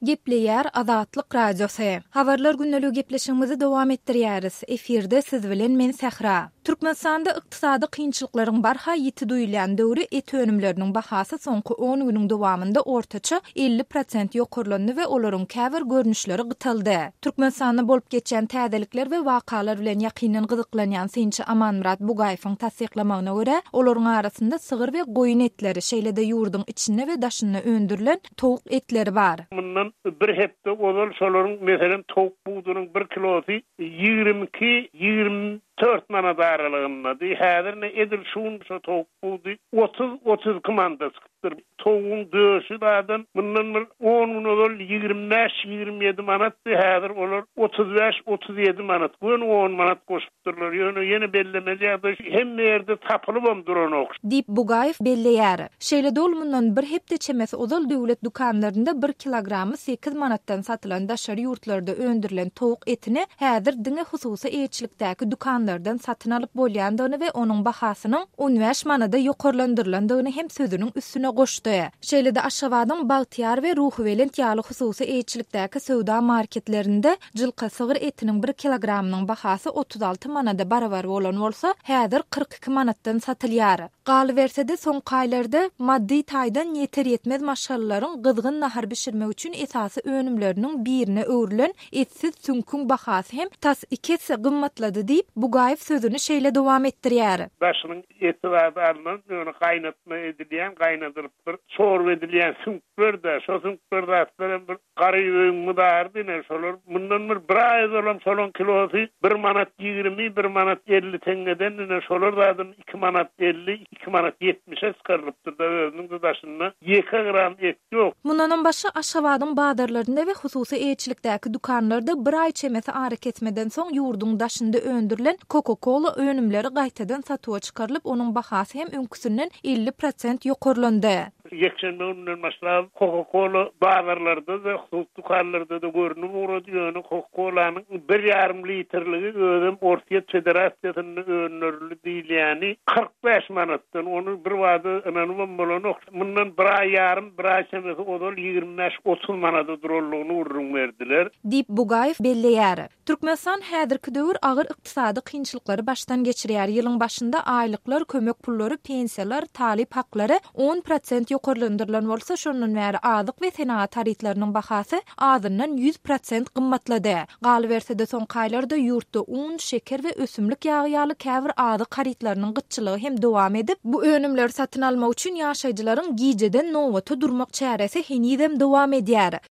Gepleýär Azatlyk Radiosy. Habarlar gündeligi gepleşigimizi dowam etdirýäris. Efirde siz bilen men Sähra. Türkmenistanda ykdysady kynçylyklaryň barha ýiti duýulýan döwri et önümleriniň bahasy soňky on günüň dowamynda ortaça 50 prosent ýokarlandy we olaryň käbir görnüşleri gytaldy. Türkmenistanda bolup geçýän täzelikler we wakalar bilen ýakyndan gyzyklanýan synçy Amanmyrat Bugaýewiň tassyklamagyna görä, olaryň arasynda sygyr we goýun etleri, şeýle-de ýurduň içinde we daşynda öndürilen towuk etleri bar. Mundan bir hepde ozal şolaryň, meselem, towuk budunyň bir kilosy 22, 24 manat aralygyndady. Häzir ine edil şu gün şo towuk budy 30, 32 manada çykypdyr. Towugyň döşi zaten mundan bir on gün ozal 25, 27 manatdy, häzir olar 35, 37 manat, göni on manat goşupdyrlar. Ýöne ýene bellemeli ýagdaý şu, hemme ýerde tapylybam duranok. Diýip, Bugaýew belleýär. Şeýle-de ol mundan bir hepde çemesi ozal döwlet dükanlarynda bir kilogramy sekiz manatdan satylan daşary ýurtlarda öndürilen towuk etini häzir diňe hususy eýeçilikdäki dükanlardan satyn alyp bolýandygyny we onuň bahasynyň 15 manada ýokarlandyrylandygyny hem sözüniň üstüne goşdy. Şeýle-de Aşgabadyň Bagtyýar we Ruhubelent ýaly hususy eýeçilikdäki söwda marketlerinde jylka sygyr etiniň bir kilogramynyň bahasy 36 manada barabar bolan bolsa, häzir 42 manatdan satylýar. Galyberse-de, soňky aýlarda maddy taýdan ýeter-ýetmez maşgalalaryň gyzgyn nahar bişirmek üçin esasy önümleriniň birine öwrülen etsiz süňküň bahasy hem tas iki esse gymmatlady diýip, Bugaýew sözüni şeýle dowam etdirýär. Daşynyň eti zady alnan, ýöne gaýnatma edilýän, gaýnadylyp bir çorba edilýän süňkler-dä, şo süňkler zatlar hem bir Garyp öýüň mydarydy ine şolar. Mundan bir bir aý ozalam şolaň kilosy bir manat 20, bir manat 50 teňňeden ine şolar zadam 2 manat 50, 2 manat 70-e çykarylypdyr-da özüniň-de daşynda ýeke gram et ýok. Mundanam başga Aşgabadyň bazarlarynda we hususy eýeçilikdäki dükanlarda bir aý çemesi arakesmeden soň ýurduň daşynda öndürilen Coca-Cola önümleri gaýtadan satuwa çykarylyp, onuň bahasy hem öňküsinden 50 prosent ýokarlandy. Ýekşenbe gününden başlap, Coca-Cola bazarlarda-da, hususy dükanlarda-da görnüp ugrady, ýöne Coca-Colanyň bir ýarym litrligi özem Orsýet Federasiýasynda öndürildi diýilýäni 45 manatdan, ony birbada ynanybam bolanok. Mundan bir aý ýarym, bir aý çemesi ozal 25-30 manada duranlygyny gürrüň berdiler. Diýip, Bugaýew belleýär. Türkmenistan häzirki döwür agyr ykdysady kynçylyklary başdan geçirýär. Ýylyň başynda aýlyklar, kömek pullary, pensiýalar, talyp haklary 10 prosent ýokarlandyrylan bolsa, şondan bäri azyk we senagat harytlarynyň bahasy azyndan 100 prosent gymmatlady. Galyberse-de, soňky aýlarda ýurtda un, şeker we ösümlik ýagy ýaly käbir azyk harytlarynyň gytçylygy hem dowam edip, bu önümleri satyn almak üçin ýaşaýjylaryň gijeden nobata durmak çäresi henizem dowam edýär.